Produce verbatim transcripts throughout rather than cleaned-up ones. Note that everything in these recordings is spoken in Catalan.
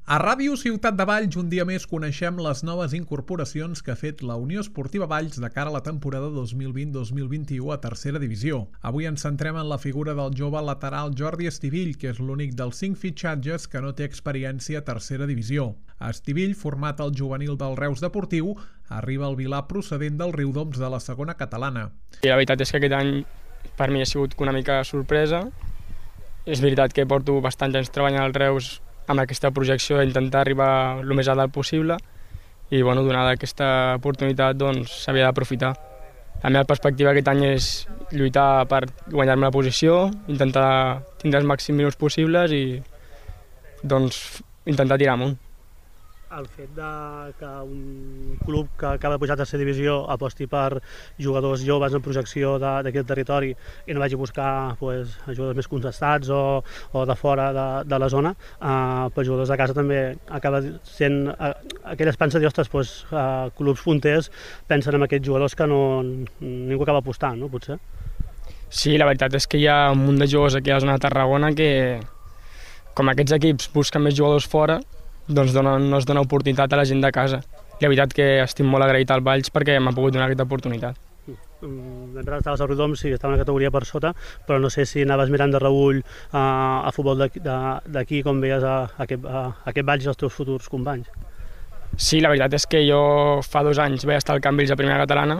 A Ràdio Ciutat de Valls, un dia més coneixem les noves incorporacions que ha fet la Unió Esportiva Valls de cara a la temporada dos mil vint dos mil vint-i-u a tercera divisió. Avui ens centrem en la figura del jove lateral Jordi Estivill, que és l'únic dels cinc fitxatges que no té experiència a tercera divisió. Estivill, format al juvenil del Reus Deportiu, arriba al Vilà procedent del Riudoms de la segona catalana. I la veritat és que aquest any per mi ha sigut una mica sorpresa. És veritat que porto bastants anys treballant al Reus amb aquesta projecció d'intentar arribar el més a dalt possible i, bueno, donada aquesta oportunitat, doncs s'havia d'aprofitar. La meva perspectiva aquest any és lluitar per guanyar-me la posició, intentar tindre els màxims minuts possibles i, doncs, intentar tirar amunt. El fet de que un club que acaba de pujar a tercera divisió aposti per jugadors joves en projecció d'aquest territori i no vagi a buscar pues, jugadors més contestats o, o de fora de, de la zona, eh, per jugadors de casa també acaba sent eh, aquella esperança de dir, ostres, pues, eh, clubs punters pensen en aquests jugadors que no, ningú acaba apostant, no, potser? Sí, la veritat és que hi ha un munt de jugadors aquí a la zona de Tarragona que, com aquests equips busquen més jugadors fora, doncs donen, no es dona oportunitat a la gent de casa. I la veritat que estic molt agraït al Valls perquè m'ha pogut donar aquesta oportunitat. Mentre estaves al Riudoms, sí, estava una categoria per sota, però no sé si anaves mirant de reüll a, a futbol d'aquí com veies a, a, aquest, a, a aquest Valls i els teus futurs companys. Sí, la veritat és que jo fa dos anys vaig estar al Camp Vells a primera catalana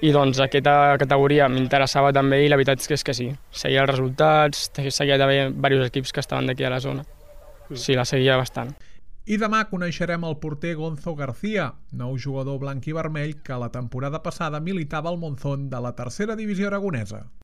i doncs aquesta categoria m'interessava també i la veritat és que, és que sí. Seguia els resultats, seguia d'haver diversos equips que estaven d'aquí a la zona. Sí, la seguia bastant. I demà coneixerem el porter Gonzo García, nou jugador blanc i vermell que la temporada passada militava al Monzón de la tercera divisió aragonesa.